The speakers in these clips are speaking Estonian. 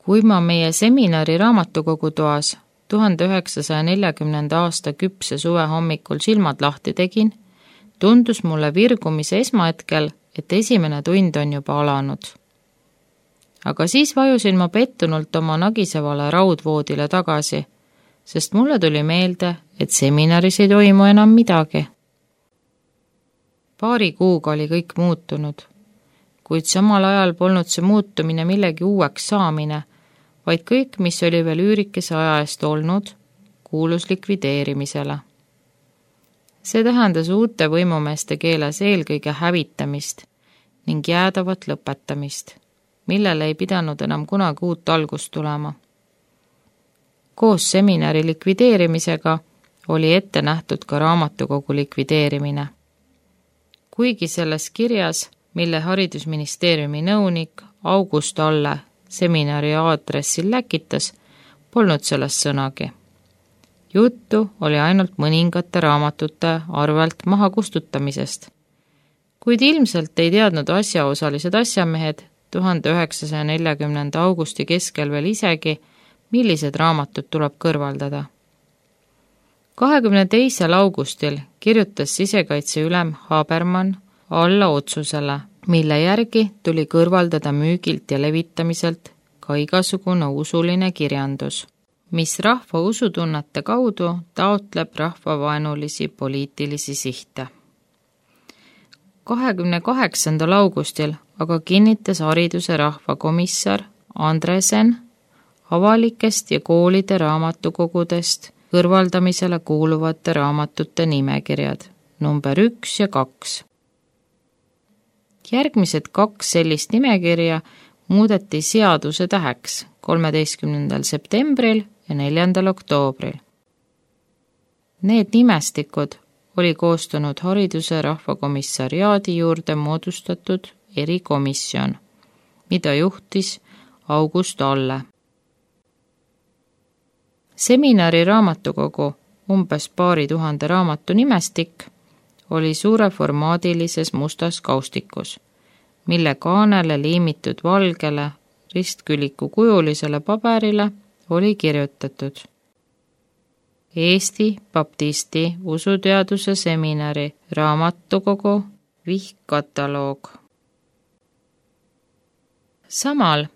Kui ma meie seminari raamatukogu toas 1940. aasta küpse suve hommikul silmad lahti tegin, tundus mulle virgumise esmahetkel, et esimene tund on juba alanud. Aga siis vajusin ma pettunult oma nagisevale raudvoodile tagasi, sest mulle tuli meelde, et seminaris ei toimu enam midagi. Paari kuuga oli kõik muutunud, kuid samal ajal polnud see muutumine millegi uueks saamine, vaid kõik, mis oli veel üürikese aja eest olnud, kuulus likvideerimisele. See tähendas uute võimumeeste keeles eelkõige hävitamist ning jäädavat lõpetamist, millele ei pidanud enam kunagi uut algust tulema. Koos seminari likvideerimisega oli ette nähtud ka raamatukogu likvideerimine. Kuigi selles kirjas, mille haridusministeeriumi nõunik August Alle seminari aadressil läkitas, polnud sellest sõnagi. Juttu oli ainult mõningate raamatute arvelt maha kustutamisest, kuid ilmselt ei teadnud asjaosalised asjamehed 1940. augusti keskel veel isegi, millised raamatud tuleb kõrvaldada. 22. augustil kirjutas sisekaitseülem Habermann alla otsusele, mille järgi tuli kõrvaldada müügilt ja levitamiselt ka igasugune usuline kirjandus, mis rahva usutunnete kaudu taotleb rahvavaenulisi poliitilisi sihte. 28. augustil aga kinnitas hariduse rahvakomissar Andresen avalikest ja koolide raamatukogudest kõrvaldamisele kuuluvate raamatute nimekirjad number 1 ja 2. Järgmised 2 sellist nimekirja muudeti seaduse täheks 13. septembril ja 4. oktoobril. Need nimestikud oli koostanud hariduse rahvakomissariaadi juurde moodustatud erikomisjon, mida juhtis August Alle. Seminari raamatukogu umbes paari tuhande raamatu nimestik oli suureformaadilises mustas kaustikus, mille kaanele liimitud valgele ristküliku kujulisele paberile oli kirjutatud Eesti Baptisti usuteaduse seminari raamatukogu vihkkataloog. Samal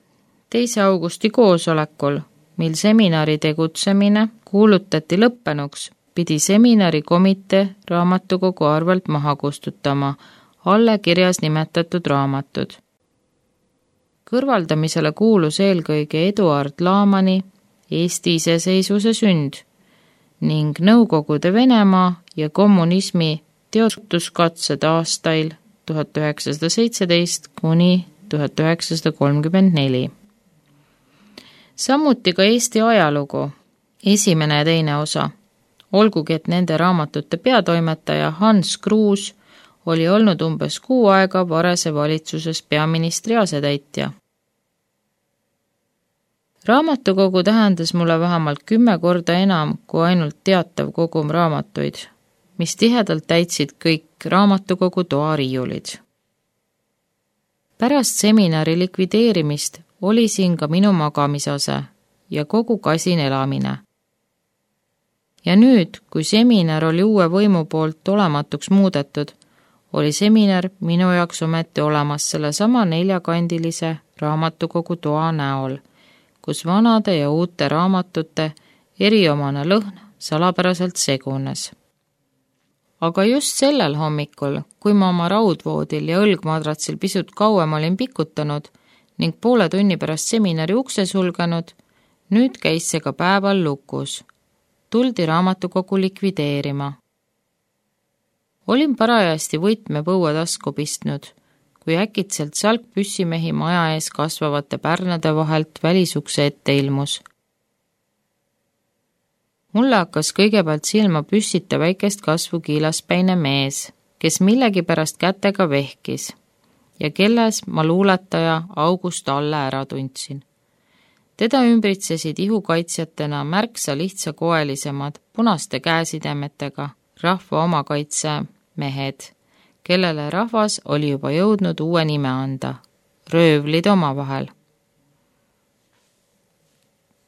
2. augusti koosolekul, mil seminari tegutsemine kuulutati lõppenuks, pidi seminari komitee raamatukogu arvelt maha kustutama Alle kirjas nimetatud raamatud. Kõrvaldamisele kuulus eelkõige Eduard Laamani Eesti iseseisvuse sünd ning Nõukogude Venemaa ja kommunismi teotuskatsed aastail 1917 kuni 1934. Samuti ka Eesti ajalugu, esimene ja teine osa, olgugi et nende raamatute peatoimetaja Hans Kruus oli olnud umbes 6 aega Varese valitsuses peaministri asetäitja. Raamatukogu tähendas mulle vähemalt 10 korda enam kui ainult teatav kogum raamatuid, mis tihedalt täitsid kõik raamatukogu toariiulid. Pärast seminari likvideerimist oli siin ka minu magamisase ja kogu kasin elamine. Ja nüüd, kui seminar oli uue võimu poolt olematuks muudetud, oli seminar minu jaoks ometi olemas sellesama 4-kandilise raamatukogu toa näol, kus vanade ja uute raamatute eriomane lõhn salapäraselt segunes. Aga just sellel hommikul, kui ma oma raudvoodil ja õlgmadratsil pisut kauem olin pikutanud ning poole tunni pärast seminari ukse sulgenud, nüüd käis see ka päeval lukus. Tuldi raamatukogu likvideerima. Olin parajasti võtmepõue tasku pistnud, kui äkitselt salkpüssimehi maja ees kasvavate pärnade vahelt välisukse ette ilmus. Mulle hakkas kõigepealt silma püssita väikest kasvu kiilaspäine mees, kes millegipärast kätega vehkis ja kelles ma luuletaja August Alle ära tundsin. Teda ümbritsesid ihukaitsjatena märksa lihtsakoelisemad punaste käesidemetega rahva omakaitse mehed, kellele rahvas oli juba jõudnud uue nime anda, röövlid omavahel.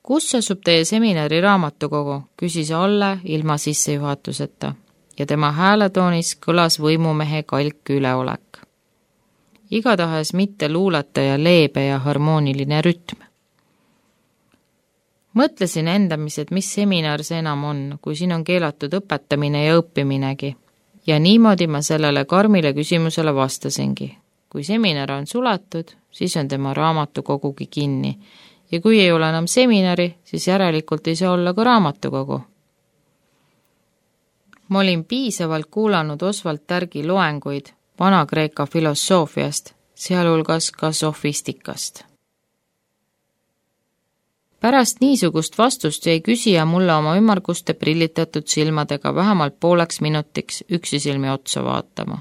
Kus asub teie seminari raamatukogu, küsis Alle ilma sissejuhatuseta ja tema hääletoonis kõlas võimumehe kalk üleolek. Igatahes mitte luuletaja leebe ja harmooniline rütm. Mõtlesin endamis, et mis seminar see enam on, kui siin on keelatud õpetamine ja õppiminegi. Ja niimoodi ma sellele karmile küsimusele vastasingi. Kui seminar on suletud, siis on tema raamatukogugi kinni. Ja kui ei ole enam seminari, siis järelikult ei saa olla ka raamatukogu. Ma olin piisavalt kuulanud Oswald Tärgi loenguid Vana-Kreeka filosoofiast, sealhulgas ka sofistikast. Pärast niisugust vastust jäi küsija mulle oma ümmarguste prillitatud silmadega vähemalt pooleks minutiks üksisilmi otsa vaatama.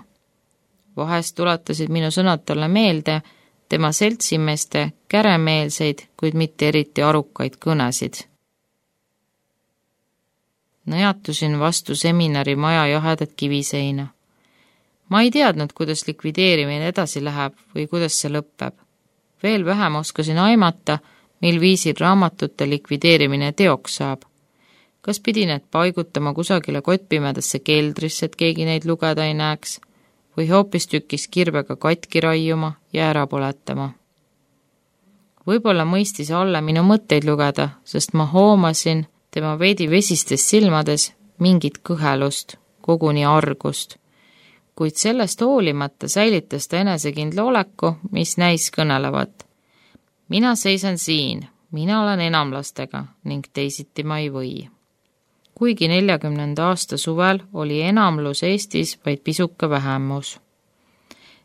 Vahest tuletasid minu sõnad talle meelde tema seltsimeeste käremeelseid, kuid mitte eriti arukaid kõnesid. Nõjatusin vastu seminari maja jahedat kiviseina. Ma ei teadnud, kuidas likvideerimine edasi läheb või kuidas see lõpeb. Veel vähem oskasin aimata, mil viisil raamatute likvideerimine teoks saab. Kas pidi need paigutama kusagile kottpimedasse keldrisse, et keegi neid lugeda ei näeks, või hoopis tükis kirvega katki raiuma ja ära põletama. Võib-olla mõistis Alle minu mõtteid lugeda, sest ma hoomasin tema veidi vesistes silmades mingit kõhelust, koguni argust, kuid sellest hoolimata säilitas ta enesekindla oleku, mis näis kõnelevat. Mina seisan siin, mina olen enamlastega ning teisiti ma ei või. Kuigi 40. aasta suvel oli enamlus Eestis vaid pisuke vähemus.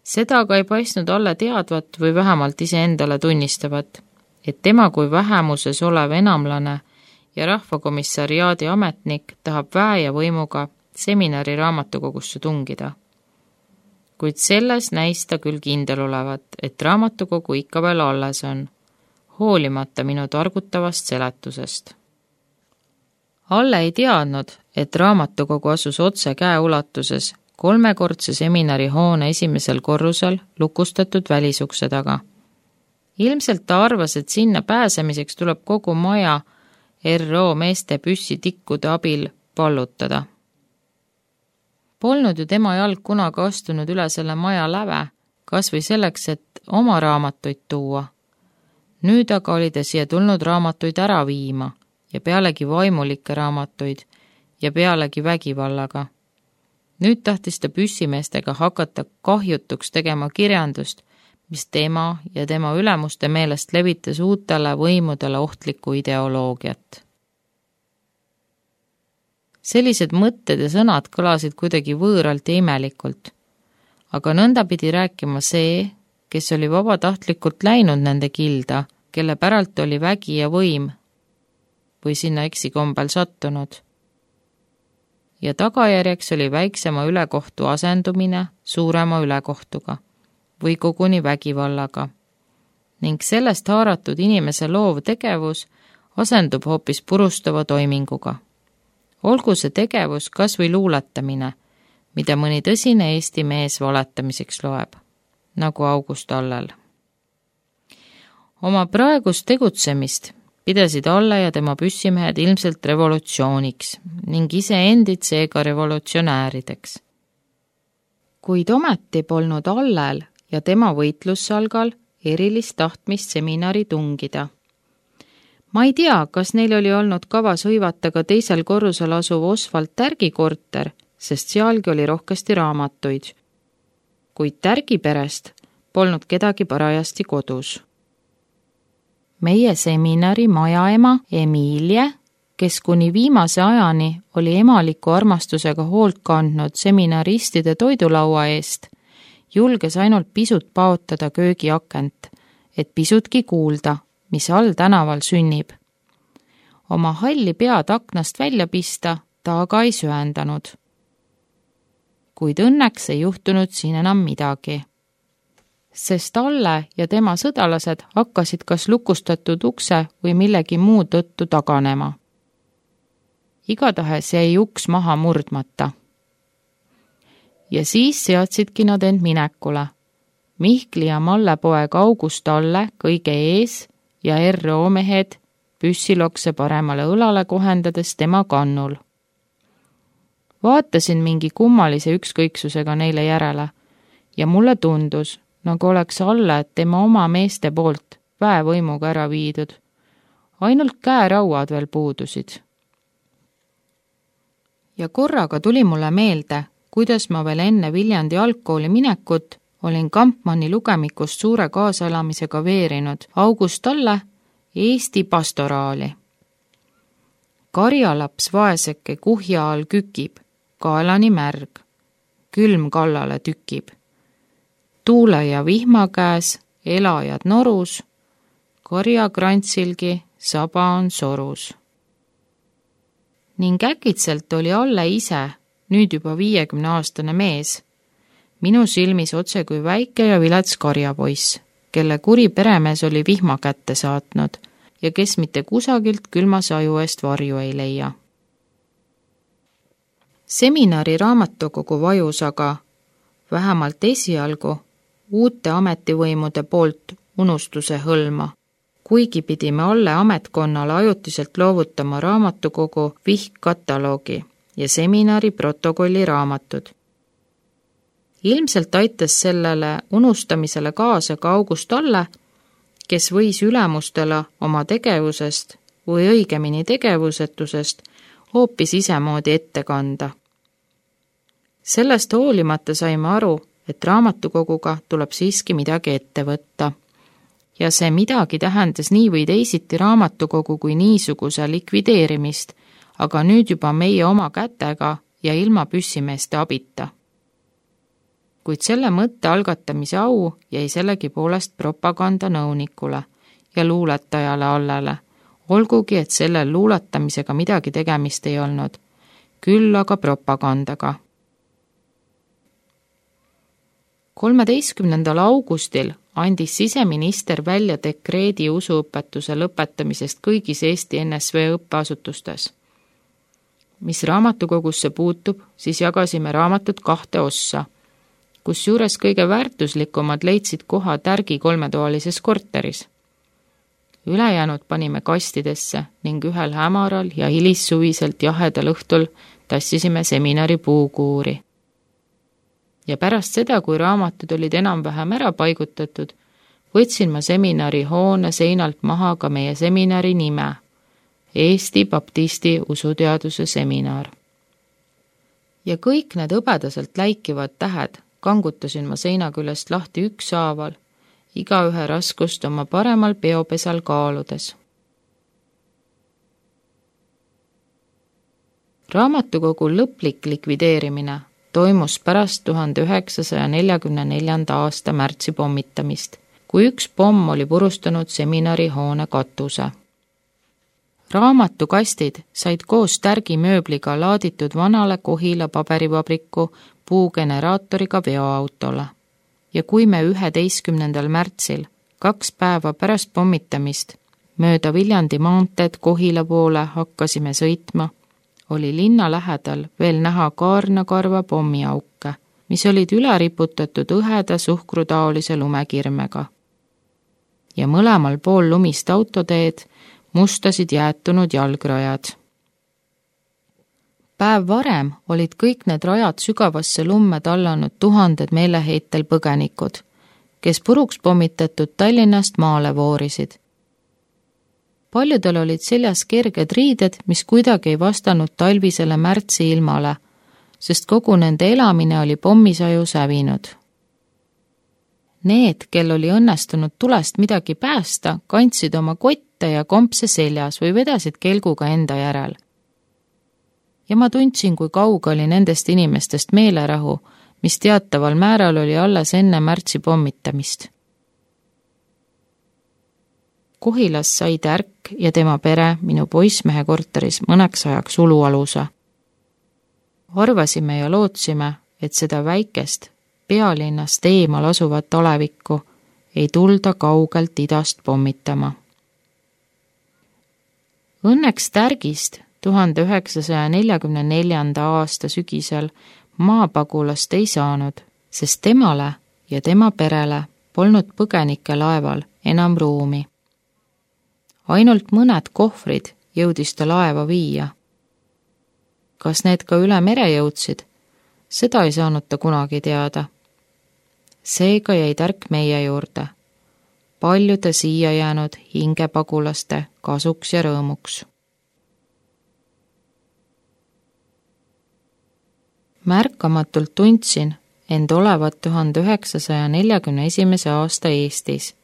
Seda aga ei paistnud Alle teadvat või vähemalt iseendale tunnistavat, et tema kui vähemuses olev enamlane ja rahvakomissariaadi ametnik tahab väe ja võimuga seminari raamatukogusse tungida. Kuid selles näis ta küll kindel olevat, et raamatukogu ikka veel alles on, hoolimata minu targutavast seletusest. Alle ei teadnud, et raamatukogu asus otse käeulatuses 3-kordse seminari hoone esimesel korrusel lukustatud välisukse taga. Ilmselt ta arvas, et sinna pääsemiseks tuleb kogu maja RO meeste püssitikkude abil pallutada. Polnud ju tema jalg kunagi astunud üle selle maja läve, kas või selleks, et oma raamatuid tuua. Nüüd aga oli ta siia tulnud raamatuid ära viima ja pealegi vaimulikke raamatuid ja pealegi vägivallaga. Nüüd tahtis ta püssimeestega hakata kahjutuks tegema kirjandust, mis tema ja tema ülemuste meelest levitas uutele võimudele ohtlikku ideoloogiat. Sellised mõtted ja sõnad kõlasid kuidagi võõralt ja imelikult, aga nõnda pidi rääkima see, kes oli vabatahtlikult läinud nende kilda, kelle päralt oli vägi ja võim või sinna eksikombel sattunud. Ja tagajärjeks oli väiksema ülekohtu asendumine suurema ülekohtuga või koguni vägivallaga ning sellest haaratud inimese loov tegevus asendub hoopis purustava toiminguga. Olgu see tegevus kas või luuletamine, mida mõni tõsine Eesti mees valetamiseks loeb, nagu August Allel. Oma praegust tegutsemist pidasid Alle ja tema püssimehed ilmselt revolutsiooniks ning iseendid seega revolutsionäärideks. Kuid ometi polnud Allel ja tema võitlussalgal erilist tahtmist seminari tungida. Ma ei tea, kas neil oli olnud kavas hõivata ka teisel korrusel asuv Oswald Tärgi korter, sest sealgi oli rohkesti raamatuid. Kuid Tärgi perest polnud kedagi parajasti kodus. Meie seminari majaema Emilie, kes kuni viimase ajani oli emaliku armastusega hoolt kandnud seminaristide toidulaua eest, julges ainult pisut paotada köögiakent, et pisutki kuulda, mis all tänaval sünnib. Oma halli pead aknast välja pista ta aga ei söendanud. Kuid õnneks ei juhtunud siin enam midagi. Sest Alle ja tema sõdalased hakkasid kas lukustatud ukse või millegi muu tõttu taganema. Igatahes jäi uks maha murdmata. Ja siis seadsidki nad end minekule. Mihkli ja Malle poeg August Alle kõige ees ja RO mehed püssilokse paremale õlale kohendades tema kannul. Vaatasin mingi kummalise ükskõiksusega neile järele ja mulle tundus, nagu oleks Alle tema oma meeste poolt väevõimuga ära viidud. Ainult käerauad veel puudusid. Ja korraga tuli mulle meelde, kuidas ma veel enne Viljandi algkooli minekut olin Kampmanni lugemikust suure kaasaelamisega veerinud August Alle Eesti pastoraali. Karjalaps vaeseke kuhja all kükib, kaelani märg, külm kallale tükib. Tuule ja vihma käes, elajad norus, karjakrantsilgi saba on sorus. Ning äkitselt oli Alle ise, nüüd juba 50-aastane mees, minu silmis otse kui väike ja vilets karjapoiss, kelle kuri peremees oli vihma kätte saatnud ja kes mitte kusagilt külma saju eest varju ei leia. Seminari raamatukogu vajus aga, vähemalt esialgu, uute ametivõimude poolt unustuse hõlma, kuigi pidime Alle ametkonnale ajutiselt loovutama raamatukogu vihkkataloogi ja seminari protokolli raamatud. Ilmselt aitas sellele unustamisele kaasa ka August Alle, kes võis ülemustele oma tegevusest või õigemini tegevusetusest hoopis isemoodi ette kanda. Sellest hoolimata saime aru, et raamatukoguga tuleb siiski midagi ette võtta. Ja see midagi tähendas nii või teisiti raamatukogu kui niisuguse likvideerimist, aga nüüd juba meie oma kätega ja ilma püssimeeste abita. Kuid selle mõtte algatamise au jäi sellegi poolest propagandanõunikule ja luuletajale Allele, olgugi et sellel luuletamisega midagi tegemist ei olnud, küll aga propagandaga. 13. augustil andis siseminister välja dekreedi usuõpetuse lõpetamisest kõigis Eesti NSV õppeasutustes. Mis raamatukogusse puutub, siis jagasime raamatud 2 ossa, kusjuures kõige väärtuslikumad leidsid koha Tärgi 3-toalises korteris. Ülejäänud panime kastidesse ning ühel hämaral ja hilissuviselt jahedal õhtul tassisime seminari puukuuri. Ja pärast seda, kui raamatud olid enam-vähem ära paigutatud, võtsin ma seminari hoone seinalt maha ka meie seminari nime, Eesti Baptisti usuteaduse seminar. Ja kõik need hõbedaselt läikivad tähed kangutasin ma seina küljest lahti ükshaaval, igaühe raskust oma paremal peopesal kaaludes. Raamatukogu lõplik likvideerimine toimus pärast 1944. aasta märtsi pommitamist, kui üks pomm oli purustanud seminari hoone katuse. Raamatukastid said koos Tärgi mööbliga laaditud vanale Kohila paberivabriku puugeneraatoriga veoautole. Ja kui me 11. märtsil, 2 päeva pärast pommitamist, mööda Viljandi maanteed Kohila poole hakkasime sõitma, oli linna lähedal veel näha kaarnakarva pommiauke, mis olid üle riputatud õheda suhkrutaolise lumekirmega. Ja mõlemal pool lumist autoteed mustasid jäätunud jalgrajad. Päev varem olid kõik need rajad sügavasse lumme tallanud tuhanded meeleheitel põgenikud, kes puruks pommitatud Tallinnast maale voorisid. Paljudel olid seljas kerged riided, mis kuidagi ei vastanud talvisele märtsi ilmale, sest kogu nende elamine oli pommisaju sävinud. Need, kel oli õnnestunud tulest midagi päästa, kandsid oma kotte ja kompse seljas või vedasid kelguga enda järel. Ja ma tundsin, kui kauge oli nendest inimestest meelerahu, mis teataval määral oli alles enne märtsi pommitamist. Kohilas sai Tärk ja tema pere minu poissmehe korteris mõneks ajaks ulualuse. Arvasime ja lootsime, et seda väikest, pealinnast eemal asuvat alevikku ei tulda kaugelt idast pommitama. Õnneks Tärgist 1944. aasta sügisel maapagulast ei saanud, sest temale ja tema perele polnud põgenike laeval enam ruumi. Ainult mõned kohvrid jõudis ta laeva viia. Kas need ka üle mere jõudsid? Seda ei saanud ta kunagi teada. Seega jäi tärk meie juurde. Paljude siia jäänud hingepagulaste kasuks ja rõõmuks. Märkamatult tundsin end olevat 1941. aasta Eestis,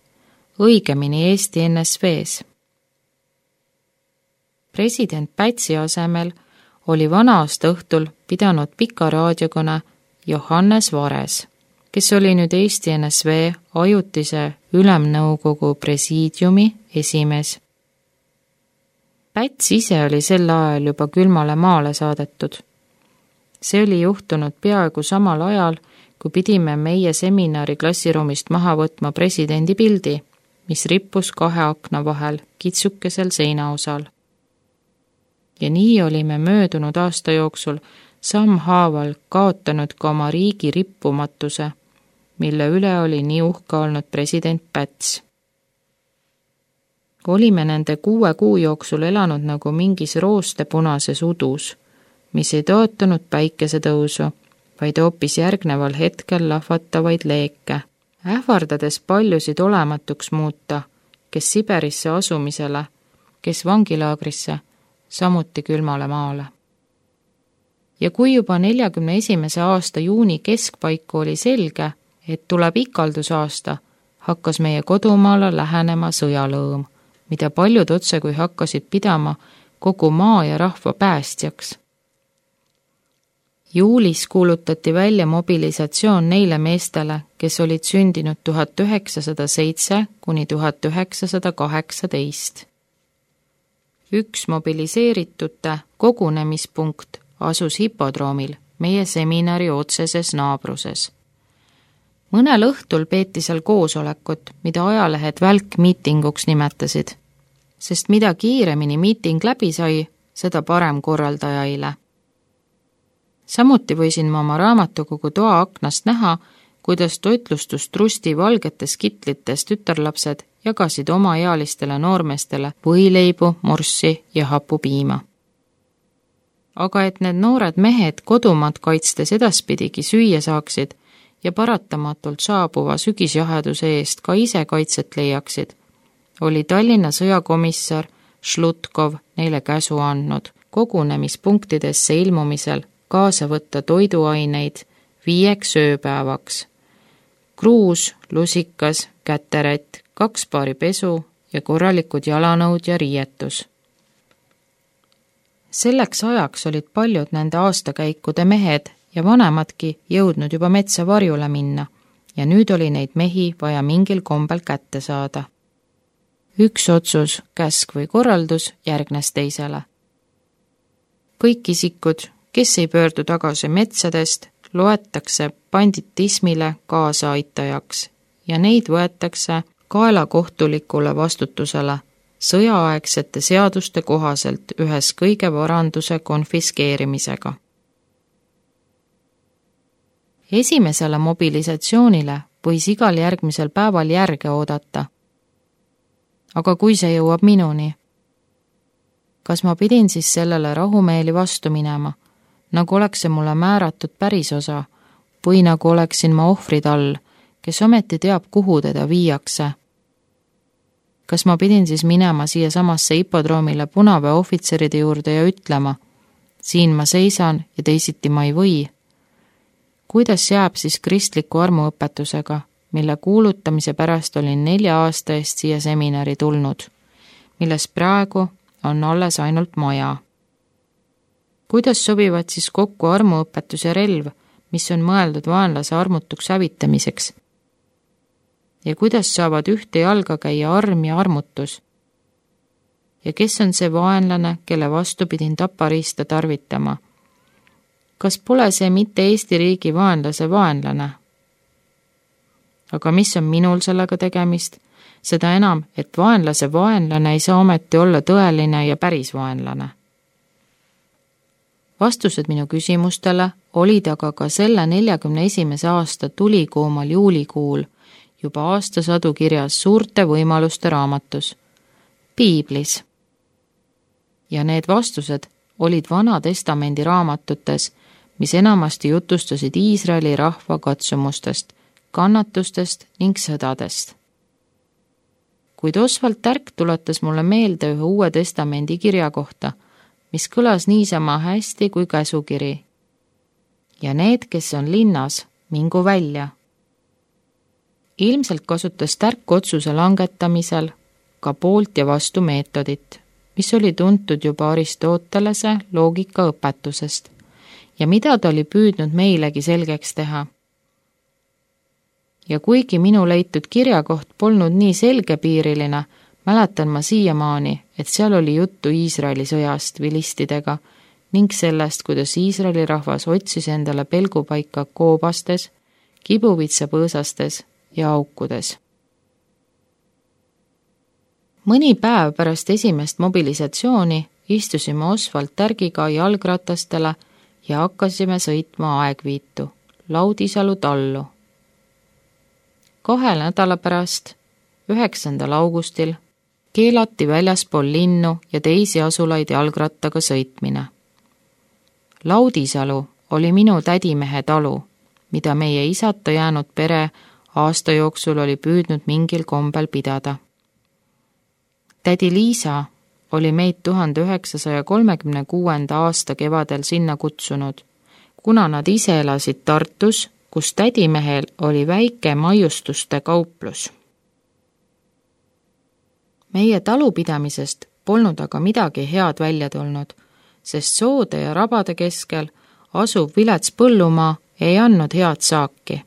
õigemini Eesti NSV-s. President Pätsi asemel oli vana-aasta õhtul pidanud pika raadiokõne Johannes Vares, kes oli nüüd Eesti NSV ajutise ülemnõukogu presiidiumi esimees. Päts ise oli sel ajal juba külmale maale saadetud. See oli juhtunud peaaegu samal ajal, kui pidime meie seminari klassiruumist maha võtma presidendi pildi, mis rippus 2 akna vahel kitsukesel seinaosal. Ja nii olime möödunud aasta jooksul sammhaaval kaotanud ka oma riigi rippumatuse, mille üle oli nii uhke olnud president Päts. Olime nende 6 kuu jooksul elanud nagu mingis roostepunases udus, mis ei toetanud päikesetõusu, vaid hoopis järgneval hetkel lahvatavaid leeke, ähvardades paljusid olematuks muuta, kes Siberisse asumisele, kes vangilaagrisse, samuti külmale maale. Ja kui juba 41. aasta juuni keskpaiku oli selge, et tuleb ikaldusaasta, hakkas meie kodumaale lähenema sõjalõõm, mida paljud otse kui hakkasid pidama kogu maa ja rahva päästjaks. Juulis kuulutati välja mobilisatsioon neile meestele, kes olid sündinud 1907 kuni 1918. Üks mobiliseeritute kogunemispunkt asus hipodroomil meie seminari otseses naabruses. Mõnel õhtul peeti seal koosolekut, mida ajalehed välkmiitinguks nimetasid, sest mida kiiremini miiting läbi sai, seda parem korraldajaile. Samuti võisin ma oma raamatukogu toa aknast näha, kuidas toitlustustrusti valgetes kitlites tütarlapsed jagasid omaealistele noormeestele võileibu, morssi ja hapupiima. Aga et need noored mehed kodumaad kaitstes edaspidigi süüa saaksid ja paratamatult saabuva sügisjaheduse eest ka ise kaitset leiaksid, oli Tallinna sõjakomissar Šlutkov neile käsu andnud kogunemispunktidesse ilmumisel kaasa võtta toiduaineid 5 ööpäevaks. Kruus, lusikas, käterätt, 2 paari pesu ja korralikud jalanõud ja riietus. Selleks ajaks olid paljud nende aastakäikude mehed ja vanemadki jõudnud juba metsa varjule minna ja nüüd oli neid mehi vaja mingil kombel kätte saada. Üks otsus, käsk või korraldus järgnes teisele. Kõik isikud, kes ei pöördu tagasi metsadest, loetakse banditismile kaasaaitajaks ja neid võetakse kaelakohtulikule vastutusele sõjaaegsete seaduste kohaselt ühes kõige varanduse konfiskeerimisega. Esimesele mobilisatsioonile võis igal järgmisel päeval järge oodata. Aga kui see jõuab minuni? Kas ma pidin siis sellele rahumeeli vastu minema, nagu oleks see mulle määratud pärisosa või nagu oleksin ma ohvrid all, kes ometi teab, kuhu teda viiakse? Kas ma pidin siis minema siia samasse hipodroomile punaväe ohvitseride juurde ja ütlema, siin ma seisan ja teisiti ma ei või? Kuidas jääb siis kristliku armuõpetusega, mille kuulutamise pärast olin 4 aasta eest siia seminari tulnud, milles praegu on alles ainult maja? Kuidas sobivad siis kokku armuõpetus ja relv, mis on mõeldud vaenlase armutuks hävitamiseks? Ja kuidas saavad ühte jalga käia arm ja armutus? Ja kes on see vaenlane, kelle vastu pidin tapariista tarvitama? Kas pole see mitte Eesti riigi vaenlase vaenlane? Aga mis on minul sellega tegemist? Seda enam, et vaenlase vaenlane ei saa ometi olla tõeline ja päris vaenlane. Vastused minu küsimustele olid aga ka selle 41. aasta tulikuumal juulikuul juba aastasadu kirjas suurte võimaluste raamatus, piiblis. Ja need vastused olid Vana Testamendi raamatutes, mis enamasti jutustasid Iisraeli rahva katsumustest, kannatustest ning sõdadest. Kuid Oswald Tärk tuletas mulle meelde ühe Uue Testamendi kirja kohta, mis kõlas niisama hästi kui käsukiri. Ja need, kes on linnas, mingu välja. Ilmselt kasutas Tärk otsuse langetamisel ka poolt ja vastu meetodit, mis oli tuntud juba Aristotelese loogikaõpetusest ja mida ta oli püüdnud meilegi selgeks teha. Ja kuigi minu leitud kirjakoht polnud nii selgepiiriline, mäletan ma siiamaani, et seal oli juttu Iisraeli sõjast vilistidega ning sellest, kuidas Iisraeli rahvas otsis endale pelgupaika koobastes, kibuvitsapõõsastes ja aukudes. Mõni päev pärast esimest mobilisatsiooni istusime Oswald Tärgiga jalgratastele ja hakkasime sõitma Aegviitu, Laudisalu tallu. 2 nädala pärast, 9. augustil, keelati väljaspool linnu ja teisi asulaid jalgrattaga sõitmine. Laudisalu oli minu tädimehe talu, mida meie isata jäänud pere aasta jooksul oli püüdnud mingil kombel pidada. Tädi Liisa oli meid 1936. aasta kevadel sinna kutsunud, kuna nad ise elasid Tartus, kus tädimehel oli väike maiustuste kauplus. Meie talupidamisest polnud aga midagi head välja tulnud, sest soode ja rabade keskel asuv vilets põllumaa ei andnud head saaki.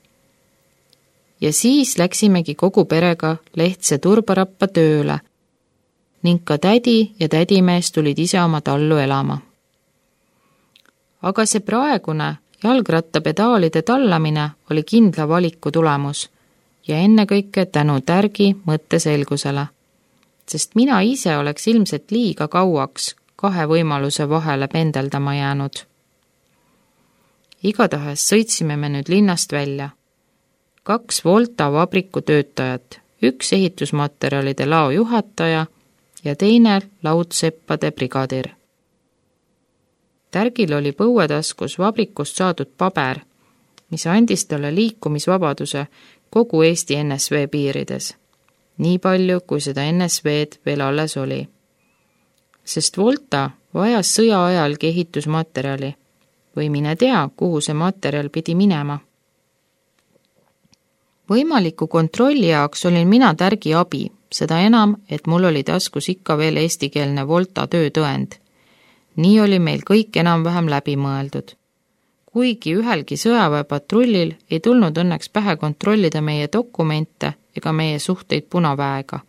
Ja siis läksimegi kogu perega Lehtse turbarappa tööle ning ka tädi ja tädimees tulid ise oma tallu elama. Aga see praegune jalgrattapedaalide tallamine oli kindla valiku tulemus ja ennekõike tänu Tärgi mõtteselgusele, sest mina ise oleks ilmselt liiga kauaks 2 võimaluse vahele pendeldama jäänud. Igatahes sõitsime me nüüd linnast välja. 2 Volta vabriku töötajat, 1 ehitusmaterjalide lao juhataja ja teine laudseppade brigadir. Tärgil oli põuetaskus vabrikust saadud paber, mis andis talle liikumisvabaduse kogu Eesti NSV piirides, nii palju, kui seda NSV-d veel alles oli. Sest Volta vajas sõja ajalgi ehitusmaterjali või mine tea, kuhu see materjal pidi minema. Võimaliku kontrolli jaoks olin mina Tärgi abi, seda enam, et mul oli taskus ikka veel eestikeelne Volta töötõend. Nii oli meil kõik enam-vähem läbi mõeldud. Kuigi ühelgi sõjaväepatrullil ei tulnud õnneks pähe kontrollida meie dokumente ega meie suhteid Punaväega.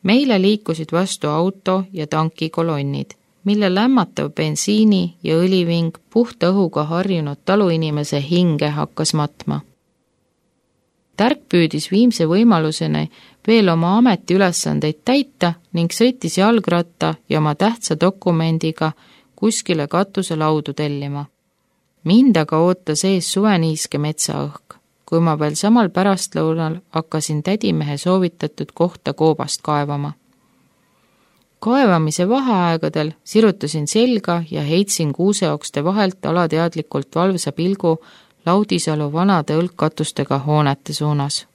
Meile liikusid vastu auto ja tankikolonnid, mille lämmatav bensiini ja õliving puhta õhuga harjunud taluinimese hinge hakkas matma. Tärk püüdis viimse võimaluseni veel oma ametiülesandeid täita ning sõitis jalgratta ja oma tähtsa dokumendiga kuskile katuselaudu tellima. Mind aga ootas ees suveniiske metsaõhk, kui ma veel samal pärastlõunal hakkasin tädimehe soovitatud kohta koobast kaevama. Kaevamise vaheaegadel sirutasin selga ja heitsin kuuseokste vahelt alateadlikult valvsa pilgu Laudisalu vanade õlgkatustega hoonete suunas.